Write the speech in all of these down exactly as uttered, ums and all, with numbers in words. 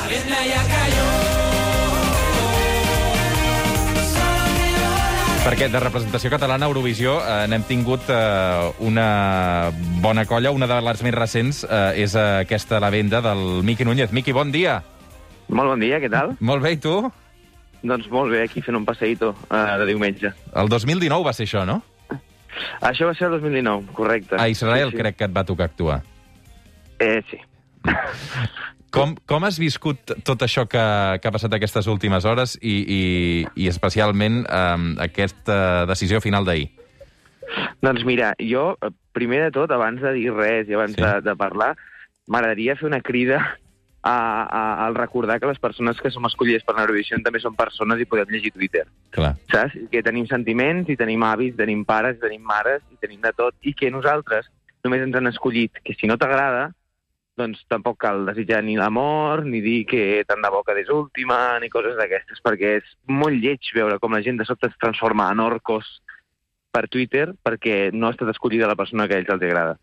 vienda ya cayó. Perquè de representació catalana a Eurovisió eh, n'hem tingut eh, una bona colla. Una de les més recents eh, és eh, aquesta La Venda del Miqui Núñez. Miqui, bon dia. Molt bon dia, què tal? Molt bé, i tu? Doncs molt bé, aquí fent un passeïto uh, de diumenge. El dos mil dinou va ser això, no? Això va ser el dos mil dinou, correcte. A Israel sí, sí. crec que et va tocar actuar. Eh, sí. Com, com has viscut tot això que, que ha passat aquestes últimes hores i, i, i especialment eh, aquesta decisió final d'ahir? Doncs mira, jo, primer de tot, abans de dir res i abans Sí. de, de parlar, m'agradaria fer una crida a, a, al recordar que les persones que som escollides per l'Eurovisió també són persones i podem llegir Twitter. Clar. Saps? Que tenim sentiments, i tenim avis, tenim pares, i tenim mares, i tenim de tot, i que nosaltres només ens han escollit que si no t'agrada, doncs tampoc cal desitjar ni l'amor, ni dir que tant de bo que és última, ni coses d'aquestes, perquè és molt lleig veure com la gent de sobte es transforma en orcos per Twitter perquè no ha estat escollida la persona que a ells els agrada.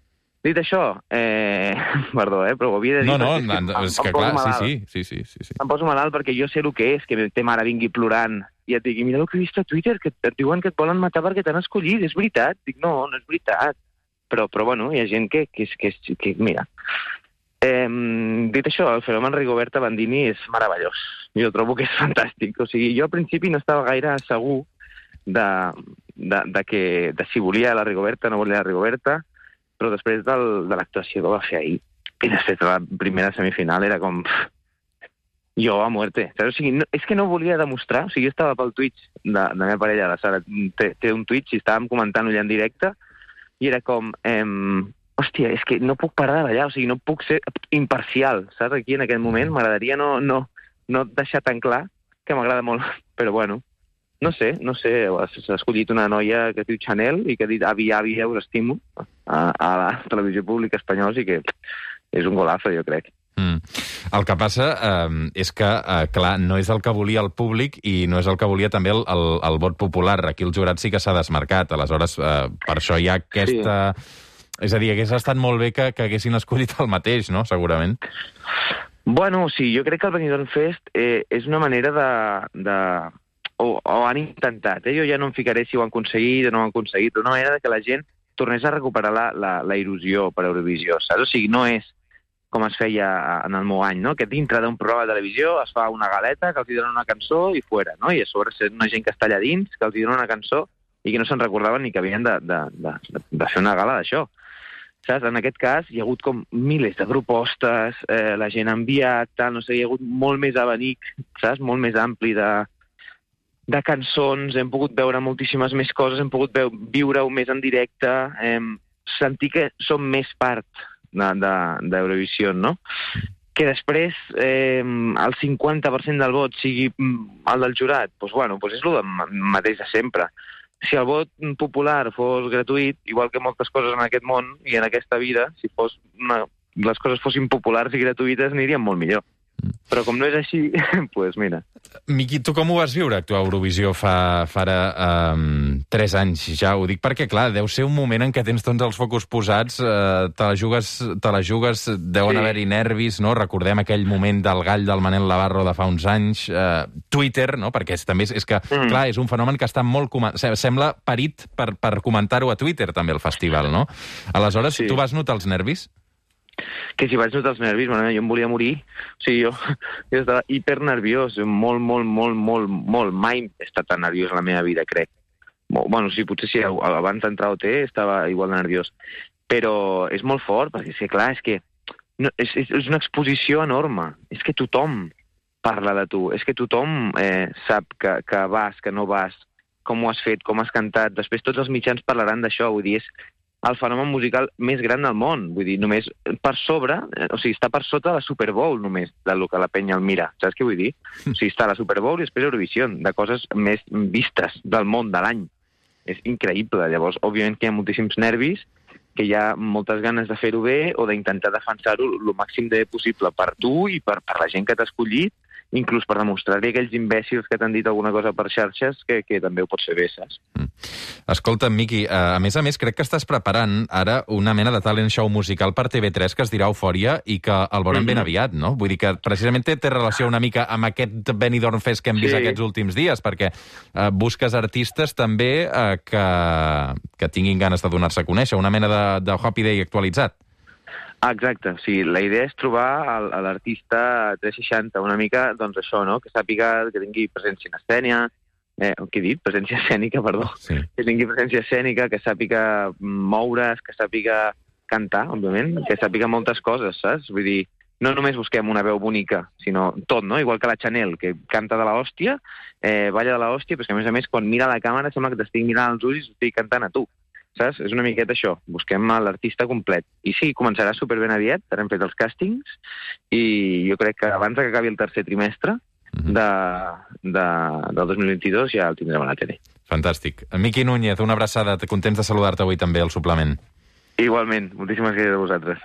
Dit això, eh... perdó, eh, però ho havia de dir... No, no, perquè no, em- és em que poso clar, malalt. sí, sí, sí, sí, sí. Em poso malalt perquè jo sé el que és, que té mare vingui plorant i et digui, mira el que he vist a Twitter, que et diuen que et volen matar perquè t'han escollit, és veritat. Dic, no, no és veritat. Però, però bueno, hi ha gent que, que, que, que, que mira... Eh, dit això, el fenomen Rigoberta Bandini és meravellós. Jo trobo que és fantàstic. O sigui, jo al principi no estava gaire segur de, de, de, que, de si volia la Rigoberta, no volia la Rigoberta, però després del, de l'actuació que va fer ahir, i després de la primera semifinal, era com... pff, jo a muerte. Saps? O sigui, no, és que no volia demostrar, o sigui, jo estava pel Twitch de, de la meva parella, la Sara, té, té un Twitch i estàvem comentant-ho allà en directe, i era com... Ehm, hòstia, és que no puc parar de ballar, o sigui, no puc ser imparcial, saps? Aquí en aquest moment m'agradaria no, no, no deixar tan clar que m'agrada molt, però bueno, no sé, no sé, s'ha escollit una noia que es diu Chanel i que ha dit avi, avi, us estimo a, a la televisió pública espanyola, i que és un golazo, jo crec. Mm. El que passa eh, és que, eh, clar, no és el que volia el públic i no és el que volia també el, el, el vot popular. Aquí el jurat sí que s'ha desmarcat, aleshores eh, per això hi ha aquesta... Sí. És a dir, hagués estat molt bé que, que haguessin escollit el mateix, no?, segurament. Bueno, sí, jo crec que el Benidorm Fest eh, és una manera de... de... O, o han intentat, eh? Jo ja no em ficaré si ho han aconseguit o no ho han aconseguit, però una manera de que la gent tornés a recuperar la, la, la il·lusió per Eurovisió, saps? O sigui, no és com es feia en el meu any, no?, que dintre d'un programa de televisió es fa una galeta, que els hi donen una cançó i fora, no?, i a sobre és una gent que està allà dins, que els hi donen una cançó i que no se'n recordaven ni que havien de, de, de, de fer una gala d'això. Saps? En aquest cas hi ha hagut com milers de propostes, eh, la gent ha enviat, tal, no sé, hi ha hagut molt més abanic, saps? Molt més ampli de, de cançons, hem pogut veure moltíssimes més coses, hem pogut veu, viure-ho més en directe, eh, sentir que som més part d'Eurovisió, de, de, no? Que després eh, el cinquanta per cent del vot sigui el del jurat, doncs bueno, doncs és el mateix de sempre. Si el vot popular fos gratuït, igual que moltes coses en aquest món i en aquesta vida, si fos una, les coses fossin populars i gratuïtes, anirien molt millor. Però com no és així, doncs pues mira. Miqui, tu com ho vas viure, actuar a Eurovisió fa, fa ara um, tres anys ja? Ho dic perquè, clar, deu ser un moment en què tens tots els focus posats, eh, te la jugues, te la jugues, deuen Sí. haver-hi nervis, no? Recordem aquell moment del gall del Manel Navarro de fa uns anys, eh, Twitter, no? Perquè és, també és, és que, mm. clar, és un fenomen que està molt... Sembla parit per, per comentar-ho a Twitter, també, el festival, no? Aleshores, Sí. tu vas notar els nervis? Que si vaig notar els nervis, bueno, jo em volia morir. O sigui, jo, jo estava hipernerviós, molt, molt, molt, molt, molt. Mai he estat tan nerviós en la meva vida, crec. Bueno, sí, potser sí, abans d'entrar a O T estava igual de nerviós. Però és molt fort, perquè, sí, clar, és que no, és, és, és una exposició enorme. És que tothom parla de tu. És que tothom eh, sap que, que vas, que no vas, com ho has fet, com has cantat. Després tots els mitjans parlaran d'això. Vull dir, és el fenomen musical més gran del món. Vull dir, només per sobre, o sigui, està per sota de la Super Bowl només, del que la penya el mira. Saps què vull dir? O sigui, està la Super Bowl i després Eurovisió, de coses més vistes del món, de l'any. És increïble. Llavors, òbviament que hi ha moltíssims nervis, que hi ha moltes ganes de fer-ho bé o d'intentar defensar-ho el màxim de possible per tu i per, per la gent que t'ha escollit, inclús per demostrar-li a aquells imbècils que t'han dit alguna cosa per xarxes que, que també ho pots fer bé, saps? Mm. Escolta, Miqui, a més a més, crec que estàs preparant ara una mena de talent show musical per T V tres que es dirà Eufòria i que el veurem mm-hmm. ben aviat, no? Vull dir que precisament té, té relació una mica amb aquest Benidorm Fest que hem vist sí. aquests últims dies, perquè eh, busques artistes també eh, que, que tinguin ganes de donar-se a conèixer, una mena de, de Happy Day actualitzat. Ah, exacte. O sigui, la idea és trobar l'artista tres seixanta, una mica, doncs això, no? Que sàpiga, que tingui presència en escènia, eh, què he dit? Presència escènica, perdó. Sí. Que tingui presència escènica, que sàpiga moure's, que sàpiga cantar, òbviament, que sàpiga moltes coses, saps? Vull dir, no només busquem una veu bonica, sinó tot, no? Igual que la Chanel, que canta de l'hòstia, eh, balla de l'hòstia, però que a més a més, quan mira la càmera, sembla que t'estigui mirant als ulls i estigui cantant a tu. Saps? És una miqueta això. Busquem l'artista complet. I sí, començarà superben aviat, ara hem fet els càstings, i jo crec que abans que acabi el tercer trimestre de, de, del dos mil vint-i-dos ja el tindrem a la tele. Fantàstic. Miqui Núñez, una abraçada. Contents de saludar-te avui també al suplement. Igualment. Moltíssimes gràcies a vosaltres.